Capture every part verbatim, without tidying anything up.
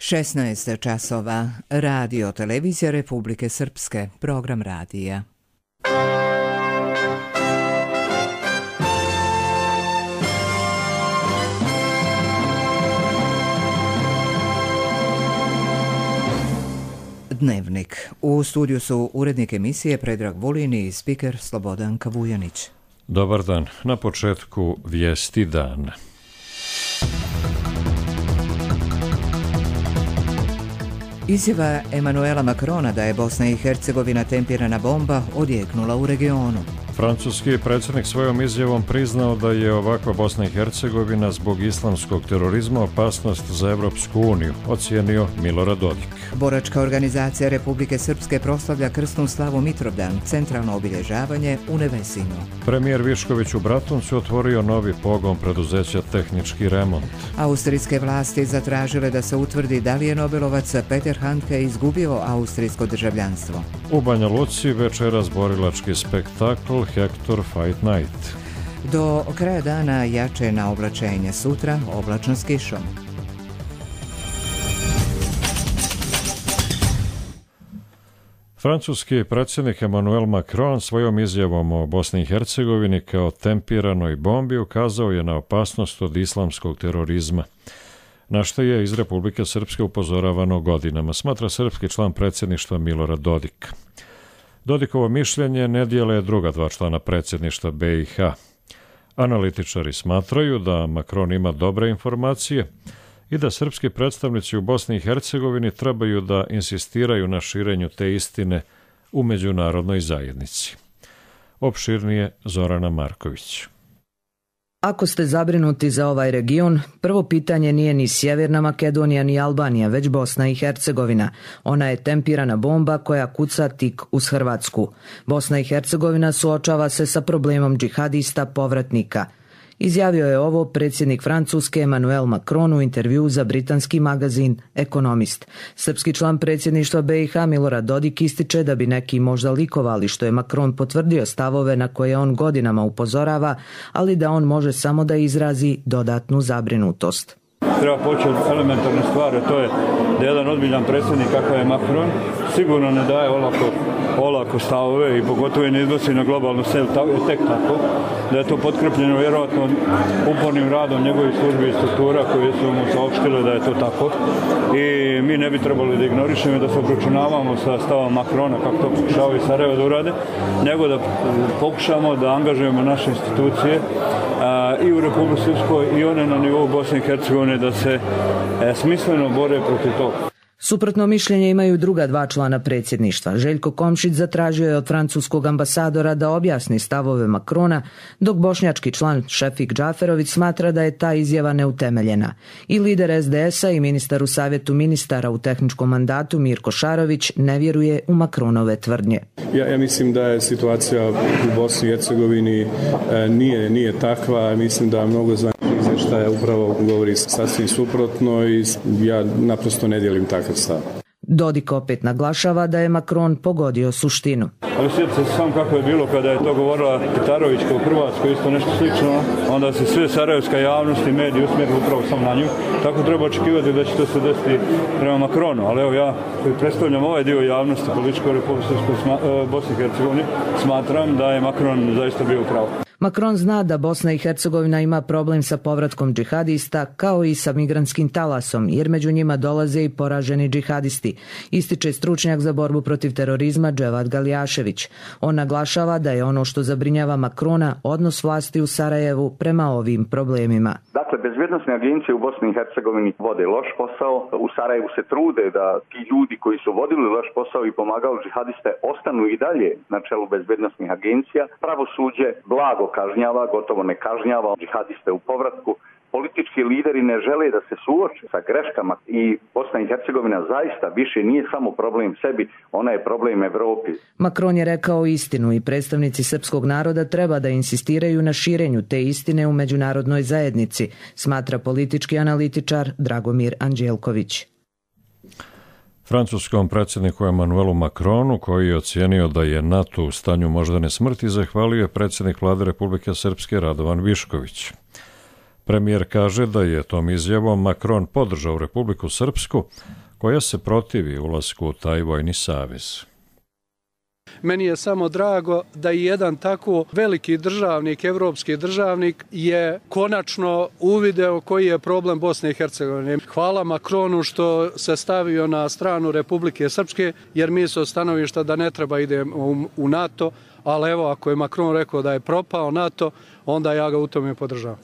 šesnaest časova. Radio televizija Republike Srpske. Program radija. Dnevnik. U studiju su urednik emisije Predrag Vulin i spiker Slobodan Kavujanić. Dobar dan. Na početku vijesti dana. Izjava Emanuela Macrona da je Bosna i Hercegovina tempirana bomba odjeknula u regionu. Francuski predsjednik svojom izjavom priznao da je ovakva Bosna i Hercegovina zbog islamskog terorizma opasnost za Evropsku uniju, ocijenio Milorad Dodik. Boračka organizacija Republike Srpske proslavlja krsnu slavu Mitrovdan, centralno obilježavanje u Nevesinu. Premijer Višković u Bratuncu otvorio novi pogon preduzeća Tehnički remont. Austrijske vlasti zatražile da se utvrdi da li je Nobelovac Peter Handke izgubio austrijsko državljanstvo. U Banja Luci večeras borilački spektakl Hector Fight Night. Do kraja dana jače na oblačenje, sutra oblačno s kišom. Francuski predsjednik Emmanuel Macron svojom izjavom o Bosni i Hercegovini kao tempiranoj bombi ukazao je na opasnost od islamskog terorizma, na što je iz Republike Srpske upozoravano godinama, smatra srpski član predsjedništva Milorad Dodik. Dodikovo mišljenje ne dijele druga dva člana predsjedništva B i H. Analitičari smatraju da Macron ima dobre informacije i da srpski predstavnici u Bosni i Hercegovini trebaju da insistiraju na širenju te istine u međunarodnoj zajednici. Opširnije Zorana Marković. Ako ste zabrinuti za ovaj region, prvo pitanje nije ni Sjeverna Makedonija ni Albanija, već Bosna i Hercegovina. Ona je tempirana bomba koja kuca tik uz Hrvatsku. Bosna i Hercegovina suočava se sa problemom džihadista povratnika. Izjavio je ovo predsjednik Francuske Emmanuel Macron u intervjuu za britanski magazin Ekonomist. Srpski član predsjedništva B i H Milorad Dodik ističe da bi neki možda likovali što je Macron potvrdio stavove na koje on godinama upozorava, ali da on može samo da izrazi dodatnu zabrinutost. Treba početi od elementarne stvari, to je da jedan ozbiljan predsjednik kakav je Macron sigurno ne daje olako, olako stavove i pogotovo ne iznosi na globalnu scenu tek tako, da je to potkrepljeno vjerojatno upornim radom njegovih službi i struktura koje su mu saopštile da je to tako i mi ne bi trebali da ignorišemo i da se obračunavamo sa stavom Macrona kako to pokušavaju Sarajevo da urade, nego da pokušamo da angažujemo naše institucije a, i u Republici Srpskoj i one na nivou Bosne i Hercegovine da se e, smisleno bore protiv toga. Suprotno mišljenje imaju druga dva člana predsjedništva. Željko Komšić zatražio je od francuskog ambasadora da objasni stavove Macrona, dok bošnjački član Šefik Džaferović smatra da je ta izjava neutemeljena. I lider S D S-a i ministar u savjetu ministara u tehničkom mandatu Mirko Šarović ne vjeruje u Macronove tvrdnje. Ja, ja mislim da je situacija u Bosni i Hercegovini e, nije, nije takva. Mislim da mnogo zvaničnih izvještaja upravo govori sasvim suprotno i ja naprosto ne dijelim takav stav. Dodik opet naglašava da je Macron pogodio suštinu. Ali sjetite se samo kako je bilo kada je to govorila Petarovićka u Hrvatskoj, isto nešto slično, onda se sve sarajevska javnost i mediji usmjerili upravo samo na nju. Tako treba očekivati da će to se desiti prema Macronu, ali evo ja koji predstavljam ovaj dio javnosti političkoj Republike Bosne i Hercegovine, smatram da je Macron zaista bio u pravu. Macron zna da Bosna i Hercegovina ima problem sa povratkom džihadista kao i sa migrantskim talasom, jer među njima dolaze i poraženi džihadisti, ističe stručnjak za borbu protiv terorizma Dževad Galjašević. On naglašava da je ono što zabrinjava Macrona odnos vlasti u Sarajevu prema ovim problemima. Dakle, bezbjednosne agencije u Bosni i Hercegovini vode loš posao. U Sarajevu se trude da ti ljudi koji su vodili loš posao i pomagali džihadiste ostanu i dalje na čelu bezbjednosnih agencija. Pravosuđe blago kažnjava, gotovo ne kažnjava džihadiste u povratku. Politički lideri ne žele da se suoče sa greškama i Bosna i Hercegovina zaista više nije samo problem sebi, ona je problem Evropi. Macron je rekao istinu i predstavnici srpskog naroda treba da insistiraju na širenju te istine u međunarodnoj zajednici, smatra politički analitičar Dragomir Anđelković. Francuskom predsjedniku Emmanuelu Macronu, koji je ocijenio da je NATO u stanju moždane smrti, zahvalio je predsjednik vlade Republike Srpske Radovan Višković. Premijer kaže da je tom izjavom Macron podržao Republiku Srpsku, koja se protivi ulasku u taj vojni savez. Meni je samo drago da i jedan tako veliki državnik, evropski državnik, je konačno uvideo koji je problem Bosne i Hercegovine. Hvala Macronu što se stavio na stranu Republike Srpske, jer mi su stanovišta da ne treba idemo u NATO, ali evo, ako je Macron rekao da je propao NATO, onda ja ga u tome podržavam.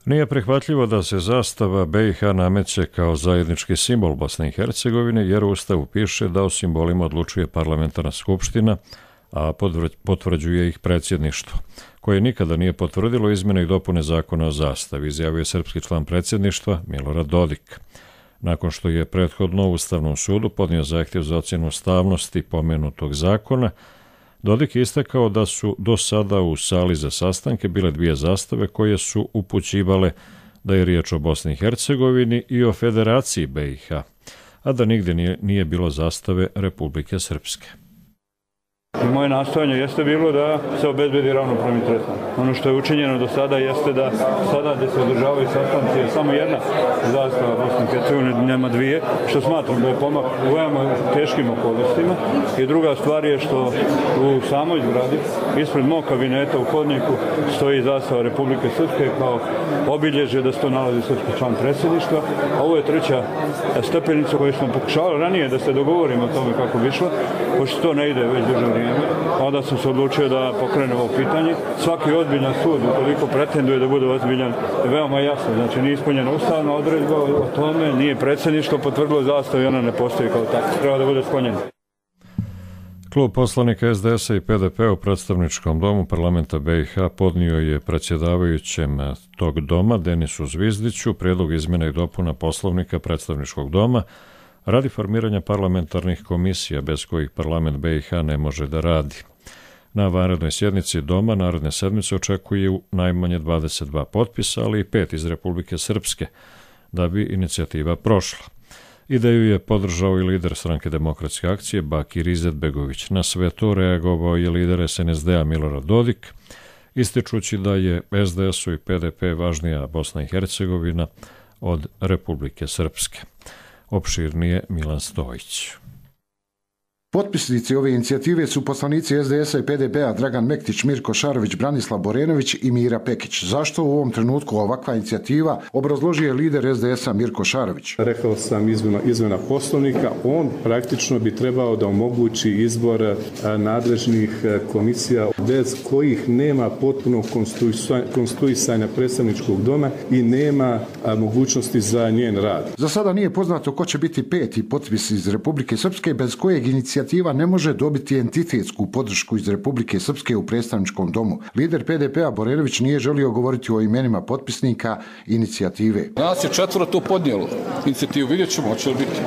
Nije prihvatljivo da se zastava B i H nameće kao zajednički simbol Bosne i Hercegovine, jer u Ustavu piše da o simbolima odlučuje parlamentarna skupština, a potvrđuje ih predsjedništvo, koje nikada nije potvrdilo izmjene i dopune zakona o zastavi, izjavio je srpski član predsjedništva Milorad Dodik. Nakon što je prethodno Ustavnom sudu podnio zahtjev za ocjenu ustavnosti pomenutog zakona, Dodik je istakao da su do sada u sali za sastanke bile dvije zastave koje su upućivale da je riječ o Bosni i Hercegovini i o Federaciji B i H, a da nigdje nije, nije bilo zastave Republike Srpske. Moje nastojanje jeste bilo da se obezbedi ravnopravni tretman. Ono što je učinjeno do sada jeste da sada gdje se održavaju sastanci je samo jedna zastava Bosne i Hercegovine, nema dvije, što smatram da je pomak u veoma teškim okolnostima. I druga stvar je što u samoj zgradi, ispred mog kabineta u hodniku, stoji zastava Republike Srpske kao obilježje da se to nalazi srpski član predsjedništva. A ovo je treća stepenica koju smo pokušavali ranije da se dogovorimo o tome kako bi išlo, pošto to ne ide već duže vrijeme. Onda sam se odlučio da pokrenem ovo pitanje. Svaki ozbiljan sud, ukoliko pretenduje da bude ozbiljan, je veoma jasno. Znači, nije ispunjena ustavna odredba o tome, nije predsjedništvo potvrdilo zastavu i ona ne postoji kao tako. Treba da bude sklonjena. Klub poslanika S D S-a i P D P u predstavničkom domu parlamenta B i H podnio je predsjedavajućem tog doma, Denisu Zvizdiću, prijedlog izmjena i dopuna poslovnika predstavničkog doma radi formiranja parlamentarnih komisija bez kojih parlament B i H ne može da radi. Na vanrednoj sjednici doma naredne sedmice očekuje najmanje dvadeset dva potpisa, ali i pet iz Republike Srpske, da bi inicijativa prošla. Ideju je podržao i lider Stranke demokratske akcije Bakir Izetbegović. Na sve to reagovao je lider S N S D-a Milorad Dodik, ističući da je S D S-u i P D P važnija Bosna i Hercegovina od Republike Srpske. Opširnije Milan Stojić. Potpisnici ove inicijative su poslanici S D S-a i P D P-a Dragan Mektić, Mirko Šarović, Branislav Borenović i Mira Pekić. Zašto u ovom trenutku ovakva inicijativa, obrazložio je lider S D S-a Mirko Šarović. Rekao sam izmjena, izmjena poslovnika, on praktično bi trebao da omogući izbor nadležnih komisija bez kojih nema potpuno konstituisanja predstavničkog doma i nema mogućnosti za njen rad. Za sada nije poznato ko će biti peti potpis iz Republike Srpske, bez kojeg inicijativa ne može dobiti entitetsku podršku iz Republike Srpske u predstavničkom domu. Lider P D P-a Borenović nije želio govoriti o imenima potpisnika inicijative. Nas je četvoro to podnijelo inicijativu, vidjet ćemo, hoće li biti.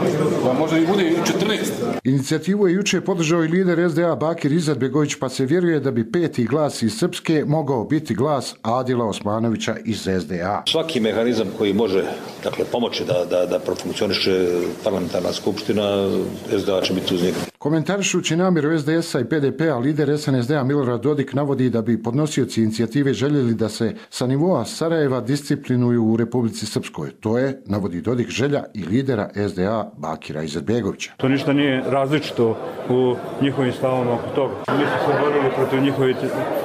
Pa možda i bude i četrnaest. Inicijativu je juče podržao i lider S D A Bakir Izetbegović, pa se vjeruje da bi peti glas iz Srpske mogao biti glas Adila Osmanovića iz S D A. Svaki mehanizam koji može, dakle, pomoći da, da, da profunkcioniše parlamentarna skupština, S D A će biti uz njega. Komentarišući namjeru S D S-a i P D P-a, lider S N S D-a Milorad Dodik navodi da bi podnosioci inicijative željeli da se sa nivoa Sarajeva disciplinuju u Republici Srpskoj. To je, navodi Dodik, želja i lidera S D A Bakira Izetbegovića. To ništa nije različito u njihovim stavama oko toga. Mi smo se borili protiv njihovih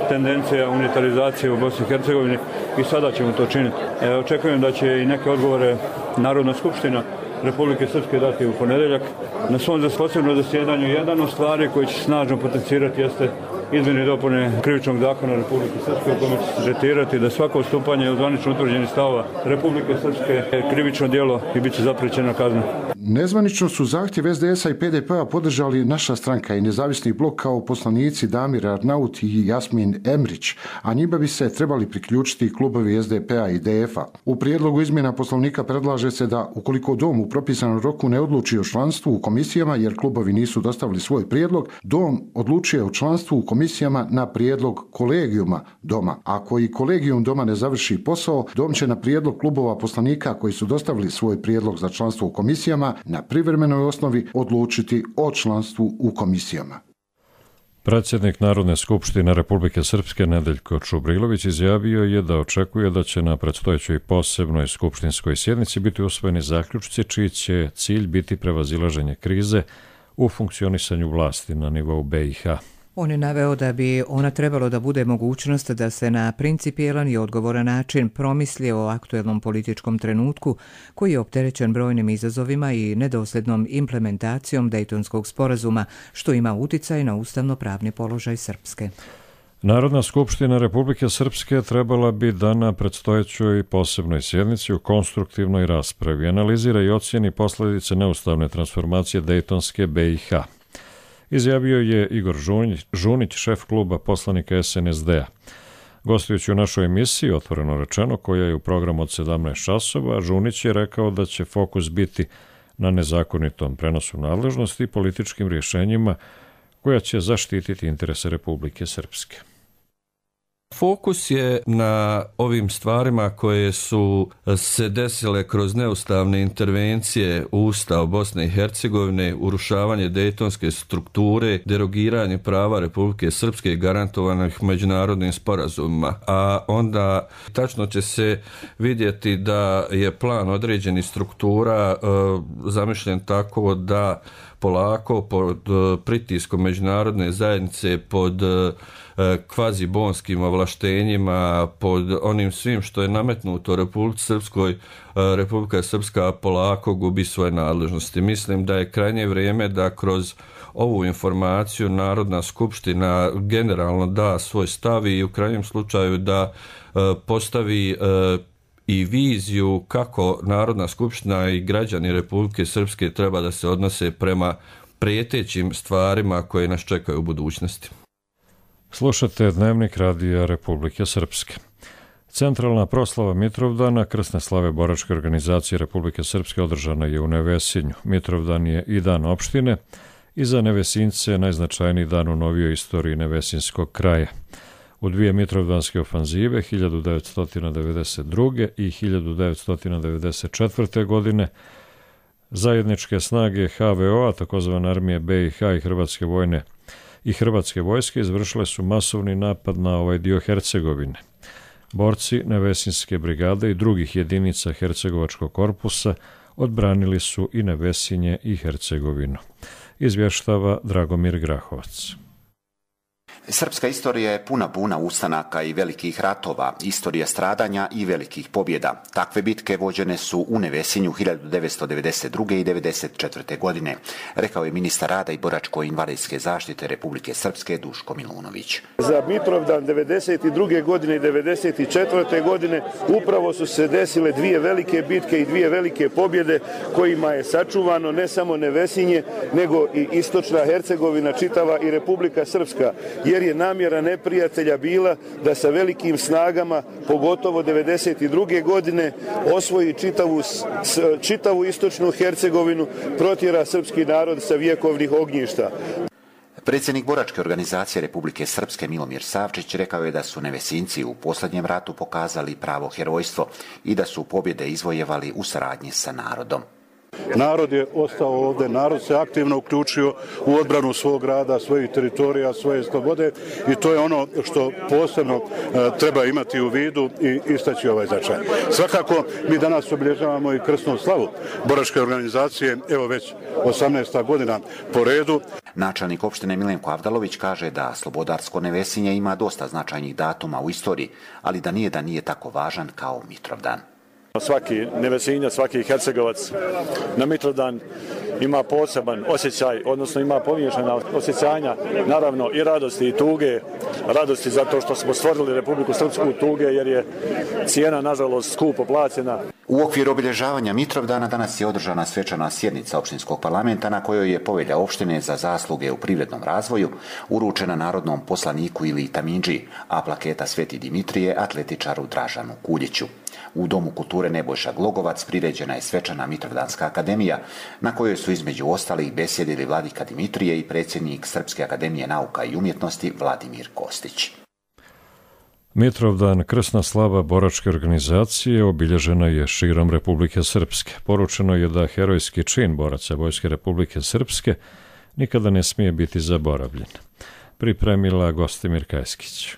tendencija unitarizacije u Bosni i Hercegovini i sada ćemo to činiti. E, očekujem da će i neke odgovore Narodna skupština Republike Srpske dati u ponedeljak. Na svom posebnom zasjedanju jedan od stvari koji će snažno potencirati jeste izmjene i dopune krivičnog zakona Republike Srpske, u kome će se tretirati da svako odstupanje od zvanično utvrđenih stavova Republike Srpske je krivično djelo i bit će zapriječena kazna. Nezvanično su zahtjev S D S-a i P D P-a podržali Naša stranka i Nezavisni blok kao poslanici Damir Arnaut i Jasmin Emrić, a njima bi se trebali priključiti klubovi S D P-a i D F-a. U prijedlogu izmjena poslovnika predlaže se da, ukoliko dom u propisanom roku ne odluči o članstvu u komisijama, jer klubovi nisu dostavili svoj prijedlog, dom odlučuje o članstvu u komisijama na prijedlog kolegijuma doma. Ako i kolegijum doma ne završi posao, dom će na prijedlog klubova poslanika koji su dostavili svoj prijedlog za članstvo u komisijama na privremenoj osnovi odlučiti o članstvu u komisijama. Predsjednik Narodne skupštine Republike Srpske Nedeljko Čubrilović izjavio je da očekuje da će na predstojećoj posebnoj skupštinskoj sjednici biti usvojeni zaključci čiji će cilj biti prevazilaženje krize u funkcionisanju vlasti na nivou be i ha. On je naveo da bi ona trebalo da bude mogućnost da se na principijelan i odgovoran način promisli o aktuelnom političkom trenutku koji je opterećen brojnim izazovima i nedosljednom implementacijom Dejtonskog sporazuma, što ima uticaj na ustavno-pravni položaj Srpske. Narodna skupština Republike Srpske trebala bi da na predstojećoj posebnoj sjednici u konstruktivnoj raspravi analizira i ocjeni posljedice neustavne transformacije Dejtonske be i ha. Izjavio je Igor Žunić, šef kluba poslanika es en es de-a. Gostujući u našoj emisiji, otvoreno rečeno, koja je u programu od sedamnaest časova, Žunić je rekao da će fokus biti na nezakonitom prenosu nadležnosti i političkim rješenjima koja će zaštititi interese Republike Srpske. Fokus je na ovim stvarima koje su se desile kroz neustavne intervencije u Ustav Bosne i Hercegovine, urušavanje dejtonske strukture, derogiranje prava Republike Srpske garantovanih međunarodnim sporazumima. A onda tačno će se vidjeti da je plan određenih struktura e, zamišljen tako da polako pod pritiskom međunarodne zajednice, pod kvazibonskim ovlaštenjima, pod onim svim što je nametnuto Republici Srpskoj, Republika Srpska polako gubi svoje nadležnosti. Mislim da je krajnje vrijeme da kroz ovu informaciju Narodna skupština generalno da svoj stav i u krajnjem slučaju da postavi i viziju kako Narodna skupština i građani Republike Srpske treba da se odnose prema prijetećim stvarima koje nas čekaju u budućnosti. Slušate Dnevnik radija Republike Srpske. Centralna proslava Mitrovdana krsne slave boračke organizacije Republike Srpske održana je u Nevesinju. Mitrovdan je i dan opštine i za Nevesince najznačajniji dan u novijoj istoriji Nevesinskog kraja. U dvije mitrovdanske ofanzive hiljadu devetsto devedeset druge. i hiljadu devetsto devedeset četvrte. godine zajedničke snage ha ve o-a, takozvane armije be i ha i Hrvatske vojne i Hrvatske vojske izvršile su masovni napad na ovaj dio Hercegovine. Borci Nevesinske brigade i drugih jedinica Hercegovačkog korpusa odbranili su i Nevesinje i Hercegovinu. Izvještava Dragomir Grahovac. Srpska istorija je puna puna ustanaka i velikih ratova, istorija stradanja i velikih pobjeda. Takve bitke vođene su u Nevesinju hiljadu devetsto devedeset druge. i devedeset četvrte. godine, rekao je ministar rada i boračko-invalidske zaštite Republike Srpske Duško Milunović. Za Mitrovdan devedeset druge. godine i devedeset četvrte. godine upravo su se desile dvije velike bitke i dvije velike pobjede kojima je sačuvano ne samo Nevesinje, nego i istočna Hercegovina, čitava i Republika Srpska, jer je namjera neprijatelja bila da sa velikim snagama, pogotovo devedeset druge. godine, osvoji čitavu, čitavu istočnu Hercegovinu, protjera srpski narod sa vjekovnih ognjišta. Predsjednik boračke organizacije Republike Srpske Milomir Savčić rekao je da su Nevesinci u posljednjem ratu pokazali pravo herojstvo i da su pobjede izvojevali u saradnji sa narodom. Narod je ostao ovdje, narod se aktivno uključio u odbranu svog grada, svojih teritorija, svoje slobode i to je ono što posebno e, treba imati u vidu i istaći ovaj značaj. Svakako mi danas obilježavamo i krsnu slavu boračke organizacije, evo već osamnaesta godina po redu. Načelnik opštine Milenko Avdalović kaže da slobodarsko Nevesinje ima dosta značajnih datuma u istoriji, ali da nije da nije tako važan kao Mitrovdan. Svaki Nevesinjac, svaki Hercegovac na Mitrovdan ima poseban osjećaj, odnosno ima pomiješana osjećanja, naravno i radosti i tuge. Radosti zato što smo stvorili Republiku Srpsku, tuge jer je cijena, nažalost, skupo plaćena. U okviru obilježavanja Mitrovdana danas je održana svečana sjednica opštinskog parlamenta na kojoj je povelja opštine za zasluge u privrednom razvoju uručena narodnom poslaniku ili tamindži, a plaketa Sveti Dimitrije atletičaru Dražanu Kuljiću. U Domu kulture Nebojša Glogovac priređena je svečana Mitrovdanska akademija na kojoj su između ostalih besjedili vladika Dimitrije i predsjednik Srpske akademije nauka i umjetnosti Vladimir Kostić. Mitrovdan, krsna slava boračke organizacije, obilježena je širom Republike Srpske. Poručeno je da herojski čin boraca Vojske Republike Srpske nikada ne smije biti zaboravljen. pripremila Gostimir Kajskić.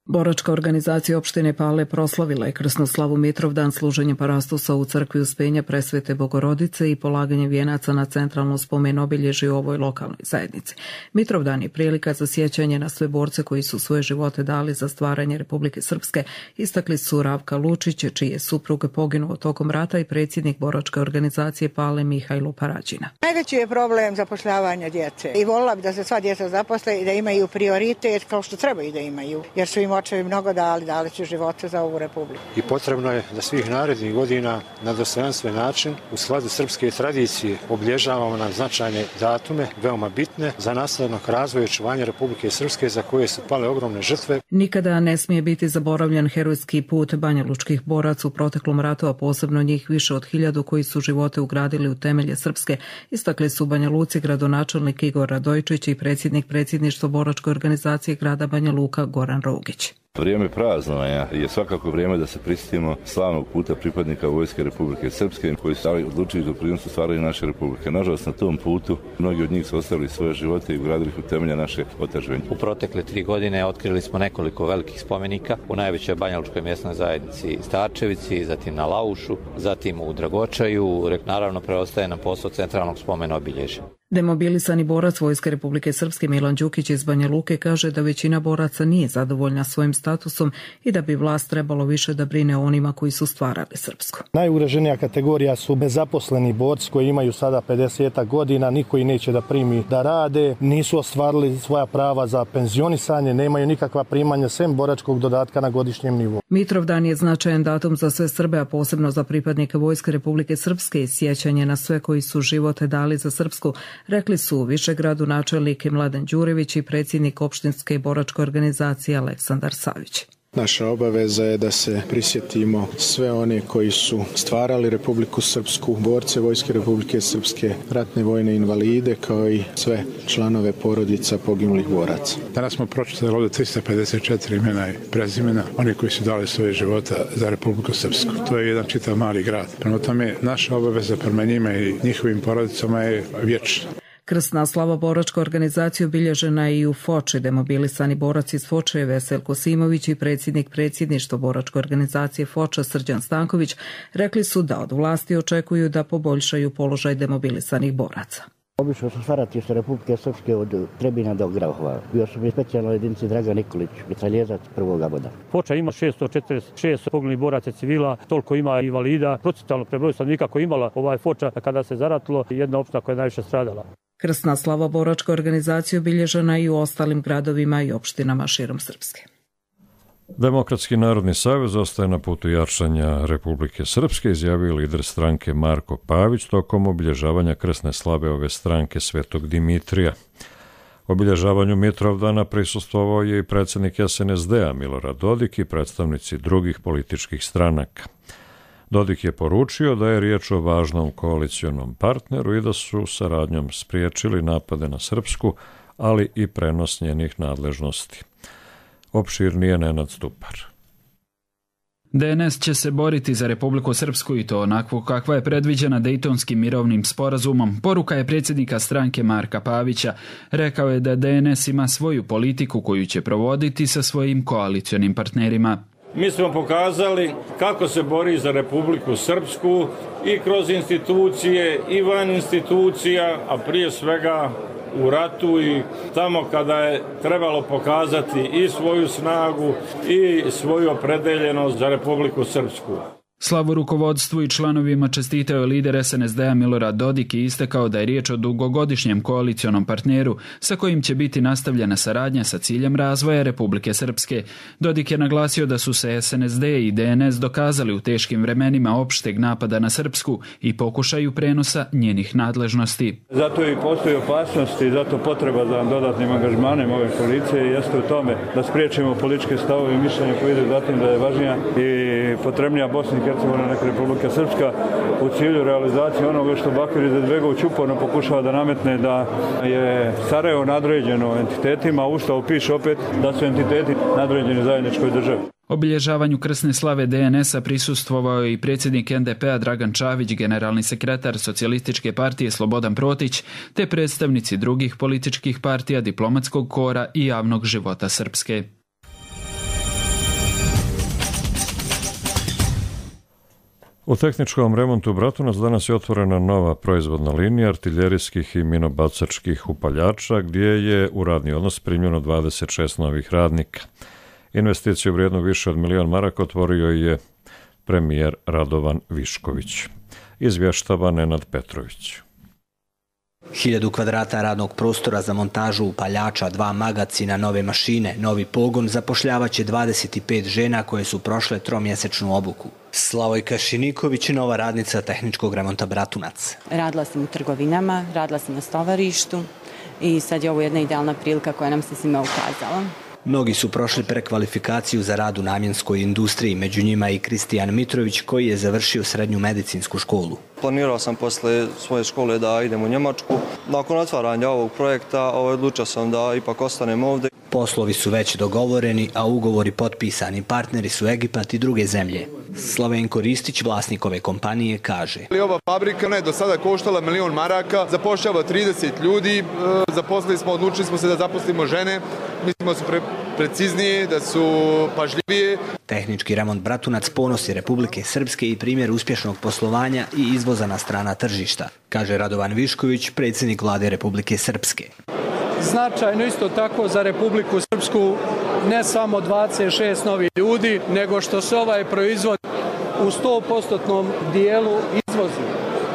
Boračka organizacija opštine Pale proslavila je krsnu slavu Mitrovdan služenjem parastosa u crkvi Uspenja Presvete Bogorodice i polaganje vijenaca na centralno spomen obilježje u ovoj lokalnoj zajednici. Mitrovdan je prilika za sjećanje na sve borce koji su svoje živote dali za stvaranje Republike Srpske, istakli su Ravka Lučić, čiji je suprug poginuo tokom rata, i predsjednik Boračke organizacije Pale Mihajlo Parađina. Najveći je problem zapošljavanja djece i volila bi da se sva djeca zaposle i da imaju prioritet kao što trebaju da imaju, jer su im očevi mnogo dali, dali su živote za ovu republiku. I potrebno je da svih narednih godina na dostojanstven način u skladu srpske tradicije obilježavamo na značajne datume, veoma bitne za nastavak razvoja i očuvanja Republike Srpske za koje su pale ogromne žrtve. Nikada ne smije biti zaboravljen herojski put banjalučkih boraca u proteklom ratu, a posebno njih više od hiljadu koji su živote ugradili u temelje Srpske, istakli su Banja Luci gradonačelnik Igor Radojčić i predsjednik predsjedništva Boračke organizacije grada Banja Luka Goran Rogić. Vrijeme praznovanja je svakako vrijeme da se prisjetimo slavnog puta pripadnika Vojske Republike Srpske koji su odlučili doprinos u stvaranju naše republike. Nažalost, na tom putu mnogi od njih su ostavili svoje živote i ugradili u temelje naše otadžbine. U protekle tri godine otkrili smo nekoliko velikih spomenika u najvećoj banjalučkoj mjesnoj zajednici Starčevici, zatim na Laušu, zatim u Dragočaju. Naravno, preostaje nam posao centralnog spomena obilježja. Demobilisani borac Vojske Republike Srpske Milan Đukić iz Banja Luke kaže da većina boraca nije zadovoljna svojim statusom i da bi vlast trebalo više da brine o onima koji su stvarali Srpsku. Najugroženija kategorija su nezaposleni borci koji imaju sada pedeset godina, niko ih neće da primi da rade, nisu ostvarili svoja prava za penzionisanje, nemaju nikakva primanja sem boračkog dodatka na godišnjem nivou. Mitrovdan je značajan datum za sve Srbe, a posebno za pripadnike Vojske Republike Srpske i sjećanje na sve koji su živote dali za Srpsku, rekli su u Višegradu načelnik Mladen Đurević i predsjednik opštinske boračke organizacije Aleksandar Savić. Naša obaveza je da se prisjetimo sve one koji su stvarali Republiku Srpsku, borce Vojske Republike Srpske, ratne vojne invalide, kao i sve članove porodica poginulih boraca. Danas smo pročitali ovdje tristo pedeset četiri imena i prezimena, oni koji su dali svoje života za Republiku Srpsku. To je jedan čitav mali grad. Prema tome, naša obaveza prema njima i njihovim porodicama je vječna. Krsna slava boračke organizacije obilježena je i u Foči. Demobilisani borac iz Foče je Veselko Simović i predsjednik predsjedništva boračke organizacije Foča Srđan Stanković rekli su da od vlasti očekuju da poboljšaju položaj demobilisanih boraca. Obišao sam staratište Republike Srpske od Trebina do Grahova. Bio sam u specijalnoj jedinici Dragan Nikolić, mitraljezac prvog aboda. Foča ima šesto četrdeset šest poginulih boraca civila, toliko ima invalida. Procentualno prebroj stanovnika koji imala ovaj Foča kada se zaratilo, jedna opština koja je najviše stradala. Krsna slava boračke organizacije obilježena i u ostalim gradovima i opštinama širom Srpske. Demokratski narodni savez ostaje na putu jačanja Republike Srpske, izjavio lider stranke Marko Pavić tokom obilježavanja krsne slave ove stranke Svetog Dimitrija. Obilježavanju Mitrovdana prisustvovao je i predsjednik S N S D-a Milorad Dodik i predstavnici drugih političkih stranaka. Dodik je poručio da je riječ o važnom koalicionom partneru i da su saradnjom spriječili napade na Srpsku, ali i prenos njenih nadležnosti. Opširnije Nenad Stupar. D N S će se boriti za Republiku Srpsku i to onakvu kakva je predviđena Dejtonskim mirovnim sporazumom. Poruka je predsjednika stranke Marka Pavića. Rekao je da D N S ima svoju politiku koju će provoditi sa svojim koalicionim partnerima. Mi smo pokazali kako se bori za Republiku Srpsku i kroz institucije i van institucija, a prije svega u ratu i tamo kada je trebalo pokazati i svoju snagu i svoju opredeljenost za Republiku Srpsku. Slavu rukovodstvu i članovima čestitao je lider S N S D-a Milorad Dodik i istakao da je riječ o dugogodišnjem koalicionom partneru sa kojim će biti nastavljena saradnja sa ciljem razvoja Republike Srpske. Dodik je naglasio da su se S N S D i D N S dokazali u teškim vremenima opšteg napada na Srpsku i pokušaju prenosa njenih nadležnosti. Zato i postoji opasnost i zato potreba za dodatnim angažmanom ove koalicije jeste u tome da spriječimo političke stavove i mišljenja koje ide zatim da je važnija i potrebnija Bosna i Hercegovina nek Republika Srpska u cilju realizacije onoga što Bakir Izetbegović uporno pokušava da nametne da je Sarajevo nadređeno entitetima, a Ustav piše opet da su entiteti nadređeni zajedničkoj državi. Obilježavanju krsne slave D N S-a prisustvovao je i predsjednik N D P-a Dragan Čavić, generalni sekretar Socijalističke partije Slobodan Protić, te predstavnici drugih političkih partija, diplomatskog kora i javnog života Srpske. U tehničkom remontu Bratunac danas je otvorena nova proizvodna linija artiljerijskih i minobacačkih upaljača, gdje je u radni odnos primljeno dvadeset šest novih radnika. Investiciju vrijednu više od milion maraka otvorio je premijer Radovan Višković. Izvještava Nenad Petrović. Hiljadu kvadrata radnog prostora za montažu upaljača, dva magacina, nove mašine, novi pogon zapošljavaće dvadeset pet žena koje su prošle tromjesečnu obuku. Slavojka Šiniković je nova radnica tehničkog remonta Bratunac. Radila sam u trgovinama, radila sam na stovarištu i sad je ovo jedna idealna prilika koja nam se svima ukazala. Mnogi su prošli prekvalifikaciju za rad u namjenskoj industriji, među njima i Kristijan Mitrović koji je završio srednju medicinsku školu. Planirao sam posle svoje škole da idem u Njemačku. Nakon otvaranja ovog projekta odlučio sam da ipak ostanem ovdje. Poslovi su već dogovoreni, a ugovori potpisani. Partneri su Egipat i druge zemlje. Slavenko Ristić, vlasnik ove kompanije, kaže: Ova fabrika je do sada koštala milion maraka, zapošljava trideset ljudi, zaposlili smo, odlučili smo se da zaposlimo žene, mislimo da su pre, preciznije, da su pažljivije. Tehnički remont Bratunac ponos je Republike Srpske i primjer uspješnog poslovanja i izvoza na strana tržišta, kaže Radovan Višković, predsjednik vlade Republike Srpske. Značajno isto tako za Republiku Srpsku ne samo dvadeset šest novih ljudi, nego što se ovaj proizvod u sto posto dijelu izvozi.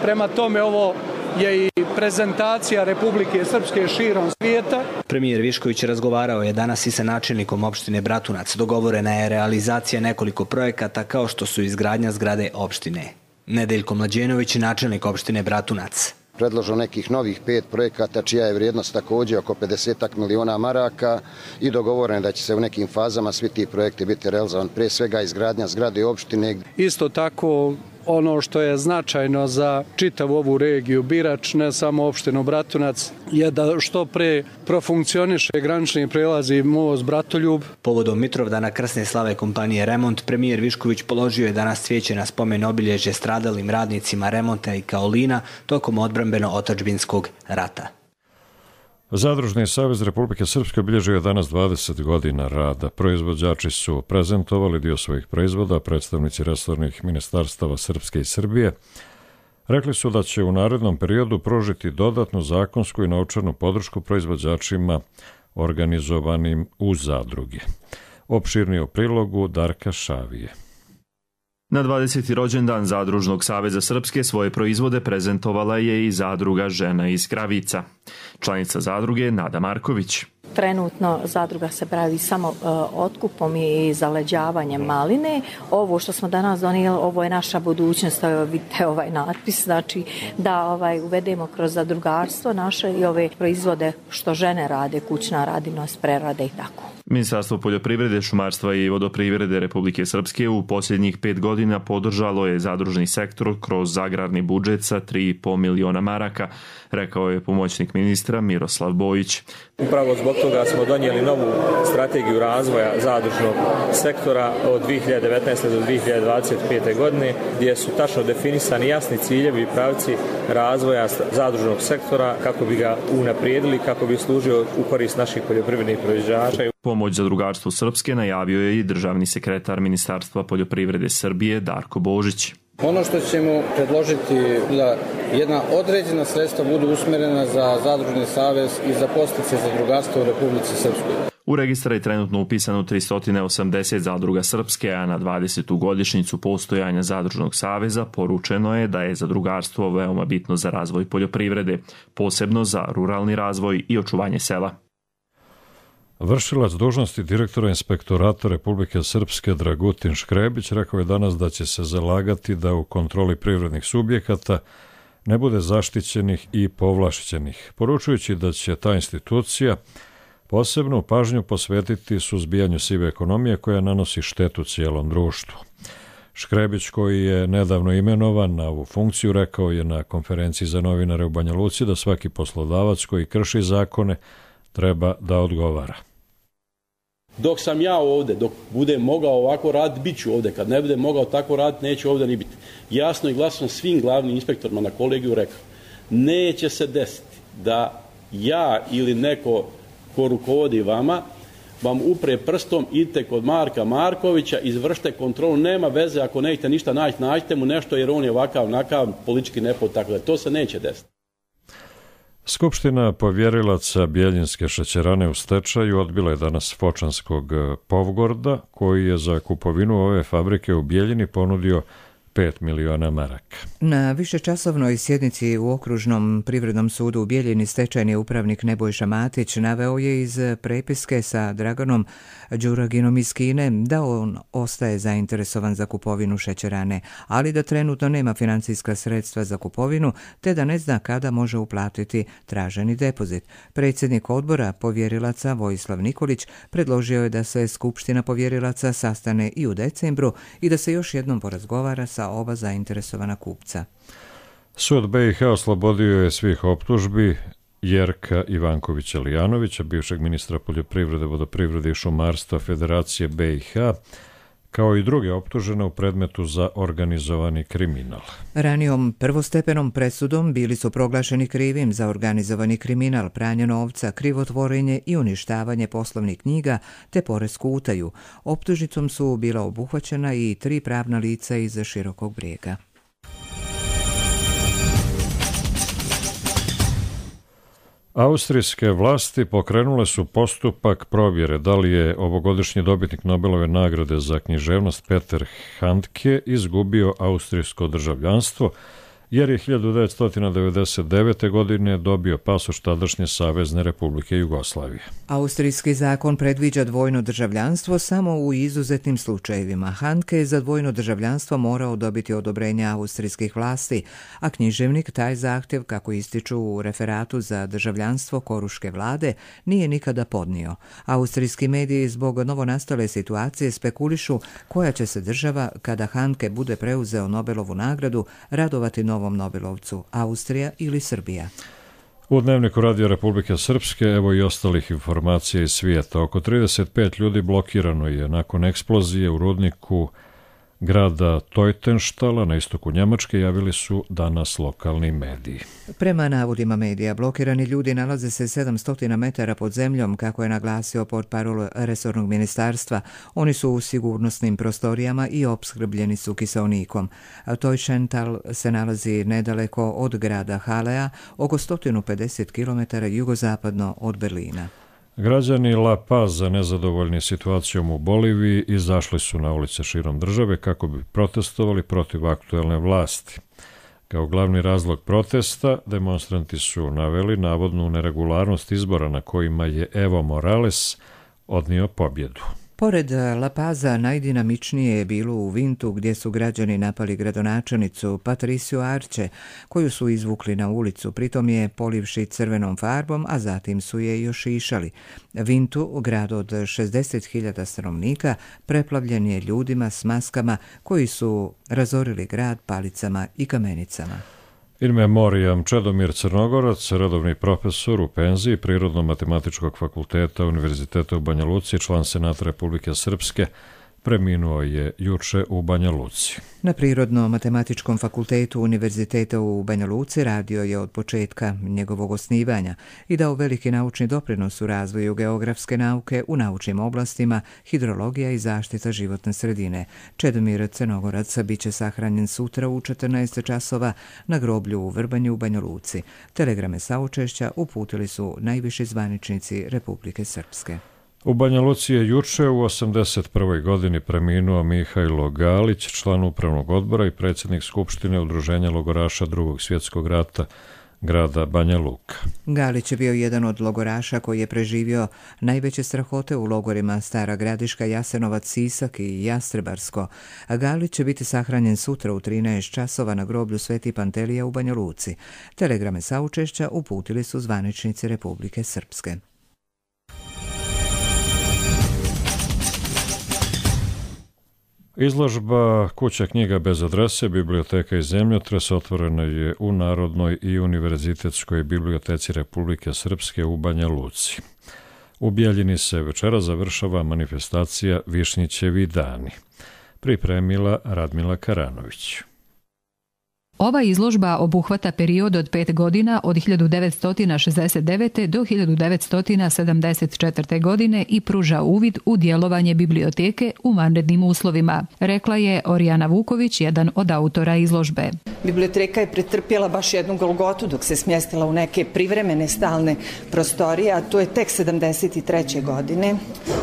Prema tome ovo je i prezentacija Republike Srpske širom svijeta. Premijer Višković razgovarao je danas i sa načelnikom opštine Bratunac. Dogovorena je realizacija nekoliko projekata kao što su izgradnja zgrade opštine. Nedeljko Mlađenović, načelnik opštine Bratunac. Predložio nekih novih pet projekata čija je vrijednost također oko pedeset miliona maraka i dogovoreno da će se u nekim fazama svi ti projekti biti realizovani, prije svega izgradnja zgrade opštine. Isto tako ono što je značajno za čitavu ovu regiju Birač, ne samo opštinu Bratunac, je da što pre profunkcioniše granični prelazi most Bratoljub. Povodom Mitrovdana krsne slave kompanije Remont, premijer Višković položio je danas cvijeće na spomen obilježje stradalim radnicima remonta i kaolina tokom odbrambeno-otadžbinskog rata. Zadružni savez Republike Srpske obilježio je danas dvadeset godina rada. Proizvođači su prezentovali dio svojih proizvoda, predstavnici resornih ministarstava Srpske i Srbije rekli su da će u narednom periodu pružiti dodatnu zakonsku i novčanu podršku proizvođačima organizovanim u zadruge. Opširnije u prilogu Darka Šavije. Na dvadeseti rođendan Zadružnog saveza Srpske svoje proizvode prezentovala je i zadruga Žena iz Kravica. Članica zadruge Nada Marković. Trenutno zadruga se bavi samo uh, otkupom i zaleđavanjem maline. Ovo što smo danas donijeli, ovo je naša budućnost, vidite ovaj natpis, znači da ovaj, uvedemo kroz zadrugarstvo naše i ove proizvode što žene rade, kućna radinost, prerade i tako. Ministarstvo poljoprivrede, šumarstva i vodoprivrede Republike Srpske u posljednjih pet godina podržalo je zadružni sektor kroz agrarni budžet sa tri i po miliona maraka, rekao je pomoćnik ministra Miroslav Bojić. Upravo zbog toga smo donijeli novu strategiju razvoja zadružnog sektora od dvije hiljade devetnaeste. do dvije hiljade dvadeset pete. godine, gdje su tačno definisani jasni ciljevi i pravci razvoja zadružnog sektora kako bi ga unaprijedili, kako bi služio u korist naših poljoprivrednih proizvođača. Pomoć zadrugarstvu Srpske najavio je i državni sekretar Ministarstva poljoprivrede Srbije Darko Božić. Ono što ćemo predložiti da jedna određena sredstva budu usmjerena za zadružni savez i za podsticaje zadrugarstva u Republici Srpskoj. U registar je trenutno upisano tristo osamdeset zadruga Srpske, a na dvadesetu godišnjicu postojanja Zadružnog saveza poručeno je da je zadrugarstvo veoma bitno za razvoj poljoprivrede, posebno za ruralni razvoj i očuvanje sela. Vršilac dužnosti direktora inspektorata Republike Srpske Dragutin Škrebić rekao je danas da će se zalagati da u kontroli privrednih subjekata ne bude zaštićenih i povlašćenih, poručujući da će ta institucija posebnu pažnju posvetiti suzbijanju sive ekonomije koja nanosi štetu cijelom društvu. Škrebić, koji je nedavno imenovan na ovu funkciju, rekao je na konferenciji za novinare u Banja Luci da svaki poslodavac koji krši zakone treba da odgovara. Dok sam ja ovdje, dok budem mogao ovako raditi, bit ću ovdje. Kad ne budem mogao tako raditi, neću ovdje ni biti. Jasno i glasno svim glavnim inspektorima na kolegiju rekao, neće se desiti da ja ili neko ko rukovodi vama vam upre prstom, idite kod Marka Markovića, izvršite kontrolu, nema veze, ako nećete ništa naći, nađite mu nešto jer on je ovakav, nakav, politički nepod, tako da to se neće desiti. Skupština povjerilaca Bjeljinske šećerane u stečaju odbila je danas Fočanskog Povgorda, koji je za kupovinu ove fabrike u Bjeljini ponudio pet miliona maraka. Na višečasovnoj sjednici u Okružnom privrednom sudu u Bijeljini stečajni upravnik Nebojša Matić naveo je iz prepiske sa Draganom Đuraginom iz Kine da on ostaje zainteresovan za kupovinu šećerane, ali da trenutno nema financijska sredstva za kupovinu te da ne zna kada može uplatiti traženi depozit. Predsjednik odbora povjerilaca Vojislav Nikolić predložio je da se Skupština povjerilaca sastane i u decembru i da se još jednom porazgovara sa oba zainteresovana kupca. Sud B i H oslobodio je svih optužbi Jerka Ivankovića Lijanovića, bivšeg ministra poljoprivrede, vodoprivrede i šumarstva Federacije B i H, kao i druge optužene u predmetu za organizovani kriminal. Ranijom prvostepenom presudom bili su proglašeni krivim za organizovani kriminal, pranje novca, krivotvorenje i uništavanje poslovnih knjiga te poresku utaju. Optužnicom su bila obuhvaćena i tri pravna lica iz Širokog Brijega. Austrijske vlasti pokrenule su postupak provjere da li je ovogodišnji dobitnik Nobelove nagrade za književnost Peter Handke izgubio austrijsko državljanstvo, jer je hiljadu devetsto devedeset devete. godine dobio pasoš tadašnje Savezne Republike Jugoslavije. Austrijski zakon predviđa dvojno državljanstvo samo u izuzetnim slučajevima. Handke je za dvojno državljanstvo morao dobiti odobrenje austrijskih vlasti, a književnik taj zahtjev, kako ističu u referatu za državljanstvo koruške vlade, nije nikada podnio. Austrijski mediji zbog novonastale situacije spekulišu koja će se država, kada Handke bude preuzeo Nobelovu nagradu, radovati novom Nobelovcu, Austrija ili Srbija. U Dnevniku Radio Republike Srpske evo i ostalih informacija iz svijeta. Oko trideset pet ljudi blokirano je nakon eksplozije u rudniku grada Teutenštala na istoku Njemačke, javili su danas lokalni mediji. Prema navodima medija, blokirani ljudi nalaze se sedamsto metara pod zemljom, kako je naglasio portparol resornog ministarstva. Oni su u sigurnosnim prostorijama i opskrbljeni su kiseonikom. Teutenštal se nalazi nedaleko od grada Halea, oko sto pedeset kilometara jugozapadno od Berlina. Građani La Paza, nezadovoljni situacijom u Boliviji, izašli su na ulice širom države kako bi protestovali protiv aktuelne vlasti. Kao glavni razlog protesta, demonstranti su naveli navodnu neregularnost izbora na kojima je Evo Morales odnio pobjedu. Pored La Paza, najdinamičnije je bilo u Vintu, gdje su građani napali gradonačelnicu Patriciu Arce, koju su izvukli na ulicu, pritom je polivši crvenom farbom, a zatim su je još išali. Vintu, grad od šezdeset hiljada stanovnika, preplavljen je ljudima s maskama koji su razorili grad palicama i kamenicama. In memoriam Čedomir Crnogorac, redovni profesor u penziji Prirodno-matematičkog fakulteta Univerziteta u Banja Luci, član Senata Republike Srpske, preminuo je juče u Banja Luci. Na Prirodno-matematičkom fakultetu Univerziteta u Banja Luci radio je od početka njegovog osnivanja i dao veliki naučni doprinos u razvoju geografske nauke u naučnim oblastima, hidrologija i zaštita životne sredine. Čedomir Crnogorac biće sahranjen sutra u četrnaest časova na groblju u Vrbanju u Banja Luci. Telegrame saučešća uputili su najviši zvaničnici Republike Srpske. U Banja Luci je juče u osamdeset prvoj. godini preminuo Mihajlo Galić, član upravnog odbora i predsjednik Skupštine Udruženja logoraša Drugog svjetskog rata grada Banja Luka. Galić je bio jedan od logoraša koji je preživio najveće strahote u logorima Stara Gradiška, Jasenovac, Sisak i Jastrebarsko. Galić će biti sahranjen sutra u trinaest časova na groblju Sveti Pantelija u Banja Luci. Telegrame saučešća uputili su zvaničnici Republike Srpske. Izložba Kuća knjiga bez adrese, biblioteka i zemljotres otvorena je u Narodnoj i Univerzitetskoj biblioteci Republike Srpske u Banja Luci. U Bjeljini se večera završava manifestacija Višnjićevi dani. Pripremila Radmila Karanović. Ova izložba obuhvata period od pet godina od hiljadu devetsto šezdeset devete. do hiljadu devetsto sedamdeset četvrte. godine i pruža uvid u djelovanje biblioteke u vanrednim uslovima, rekla je Orijana Vuković, jedan od autora izložbe. Biblioteka je pretrpjela baš jednu golgotu dok se smjestila u neke privremene stalne prostorije, a to je tek sedamdeset treće. godine.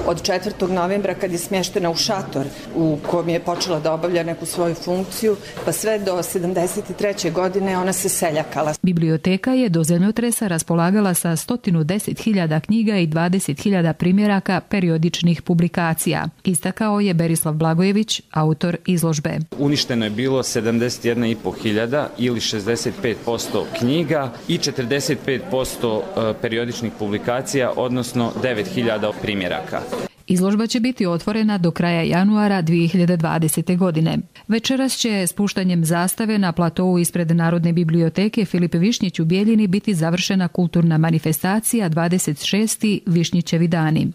Od četvrtog novembra kad je smještena u šator u kojem je počela da obavlja neku svoju funkciju, pa sve do sedamdeset treće. godine ona se seljakala. Biblioteka je do zemljotresa raspolagala sa sto deset hiljada knjiga i dvadeset hiljada primjeraka periodičnih publikacija, istakao je Berislav Blagojević, autor izložbe. Uništeno je bilo sedamdeset jedna i pol hiljada ili šezdeset pet posto knjiga i četrdeset pet posto periodičnih publikacija, odnosno devet hiljada primjeraka. Izložba će biti otvorena do kraja januara dvije hiljade dvadesete. godine. Večeras će spuštanjem zastave na platovu ispred Narodne biblioteke Filip Višnjić u Bjeljini biti završena kulturna manifestacija dvadeset šesti. Višnjićevi dani.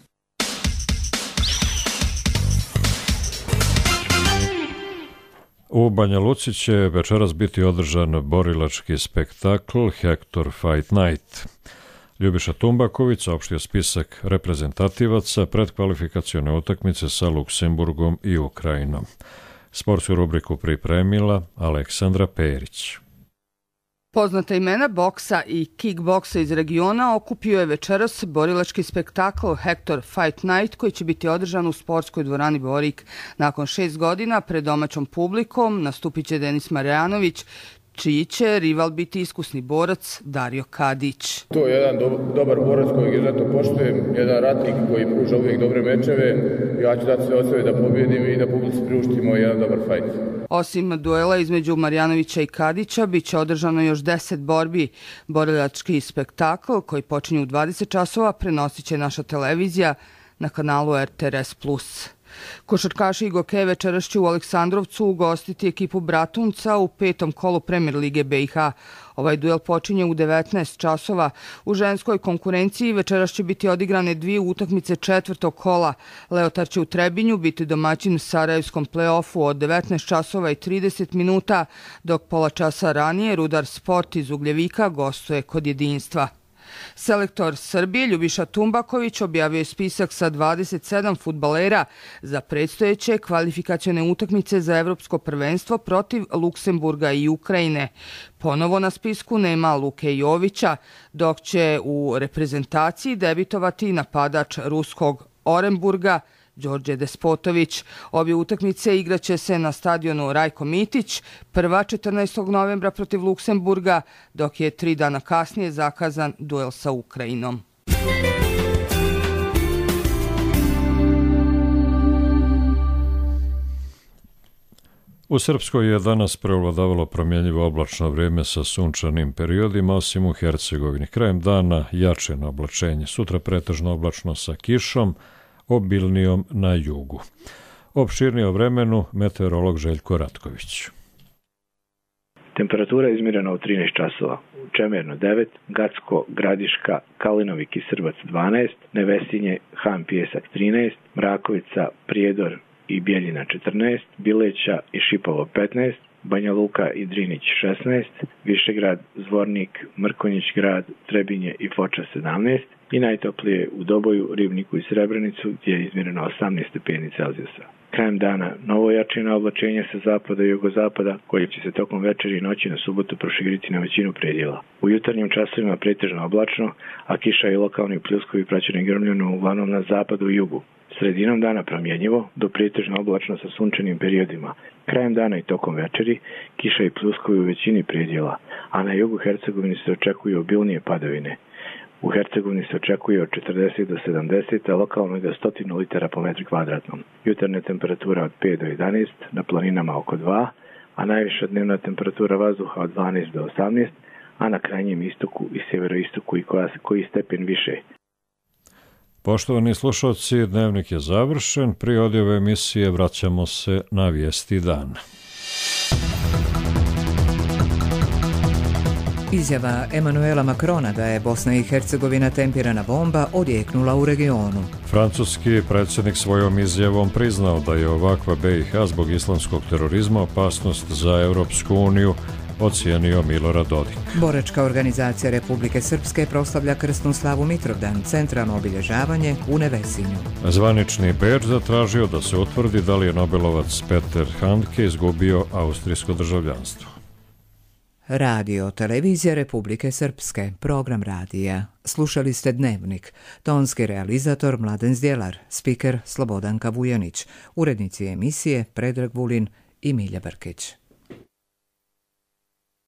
U Banja Luci će večeras biti održan borilački spektakl Hector Fight Night. Ljubiša Tumbaković saopštio spisak reprezentativaca predkvalifikacione utakmice sa Luksemburgom i Ukrajinom. Sportsku rubriku pripremila Aleksandra Perić. Poznata imena boksa i kickboksa iz regiona okupio je večeras borilački spektakl Hector Fight Night koji će biti održan u sportskoj dvorani Borik. Nakon šest godina pred domaćom publikom nastupit će Denis Marjanović, čiji će rival biti iskusni borac Dario Kadić. To je jedan do, dobar borac kojeg izuzetno poštujem, jedan ratnik koji pruža uvijek dobre mečeve. Ja ću dati sve od sebe da pobjedim i da publici priuštimo jedan dobar fajt. Osim duela između Marjanovića i Kadića, bit će održano još deset borbi. Borilački spektakl koji počinje u dvadeset časova prenosit će naša televizija na kanalu R T R S plus. Košarkaši i Goke večeras će u Aleksandrovcu ugostiti ekipu Bratunca u petom kolu Premier lige B i H. Ovaj duel počinje u devetnaest časova. U ženskoj konkurenciji večeras će biti odigrane dvije utakmice četvrtog kola. Leotar će u Trebinju biti domaćin Sarajevskom play-offu od devetnaest časova i trideset minuta, dok pola časa ranije Rudar Sport iz Ugljevika gostuje kod Jedinstva. Selektor Srbije Ljubiša Tumbaković objavio je spisak sa dvadeset sedam fudbalera za predstojeće kvalifikacione utakmice za evropsko prvenstvo protiv Luksemburga i Ukrajine. Ponovo na spisku nema Luke Jovića, dok će u reprezentaciji debitovati napadač ruskog Orenburga Đorđe Despotović. Obje utakmice igraće se na stadionu Rajko Mitić, prva četrnaestog novembra protiv Luksemburga, dok je tri dana kasnije zakazan duel sa Ukrajinom. U Srpskoj je danas prevladavalo promjenjivo oblačno vrijeme sa sunčanim periodima, osim u Hercegovini. Krajem dana jačeno oblačenje, sutra pretežno oblačno sa kišom, obilnijom na jugu. Opširnije o vremenu meteorolog Željko Ratković. Temperatura je izmjerena u trinaest časova. Čemerno devet, Gacko, Gradiška, Kalinovik i Srbac dvanaest, Nevesinje, Han Pijesak trinaest, Mrakovica, Prijedor i Bjeljina četrnaest, Bileća i Šipovo petnaest, Banja Luka i Drinić šesnaest, Višegrad, Zvornik, Mrkonjić grad, Trebinje i Foča sedamnaest i najtoplije u Doboju, Ribniku i Srebrenicu gdje je izmjereno osamnaest stepeni Celzijusa. Krajem dana novo jačino oblačenje sa zapada i jugozapada koje će se tokom večeri i noći na subotu proširiti na većinu predjela. U jutarnjim časovima pretežno oblačno, a kiša i lokalni pljuskovi praćeni grmljenom uglavnom na zapadu i jugu. Sredinom dana promjenjivo, do pretežno oblačno sa sunčanim periodima. Krajem dana i tokom večeri kiša i pljuskovi u većini predjela, a na jugu Hercegovini se očekuju obilnije padavine. U Hercegovini se očekuje od četrdeset do sedamdeset, a lokalno i do sto litara po metru kvadratnom. Jutarnja temperatura od pet do jedanaest, na planinama oko dva, a najviša dnevna temperatura vazduha od dvanaest do osamnaest, a na krajnjem istoku i sjeveroistoku i koja, koji stepen više. Poštovani slušalci, dnevnik je završen. Prije odjave emisije vraćamo se na vijesti dana. Izjava Emanuela Macrona da je Bosna i Hercegovina tempirana bomba odjeknula u regionu. Francuski predsjednik svojom izjavom priznao da je ovakva B i H zbog islamskog terorizma opasnost za Europsku uniju, ocijenio Milorad Dodik. Boračka organizacija Republike Srpske proslavlja krsnu slavu Mitrovdan, centralno obilježavanje u Nevesinju. Zvanični Beč zatražio da se utvrdi da li je Nobelovac Peter Handke izgubio austrijsko državljanstvo. Radio Televizija Republike Srpske, program radija. Slušali ste Dnevnik. Tonski realizator Mladen Zdjelar, spiker Slobodanka Vujanić, urednici emisije Predrag Vulin i Milja Brkić.